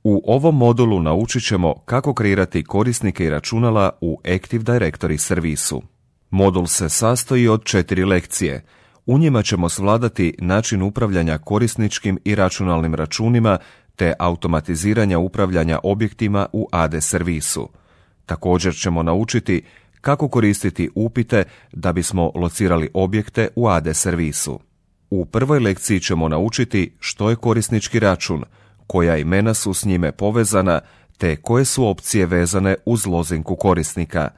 U ovom modulu naučit ćemo kako kreirati korisnike i računala u Active Directory servisu. Modul se sastoji od 4 lekcije. U njima ćemo svladati način upravljanja korisničkim i računalnim računima te automatiziranja upravljanja objektima u AD servisu. Također ćemo naučiti kako koristiti upite da bismo locirali objekte u AD servisu. U prvoj lekciji ćemo naučiti što je korisnički račun, koja imena su s njime povezana, te koje su opcije vezane uz lozinku korisnika.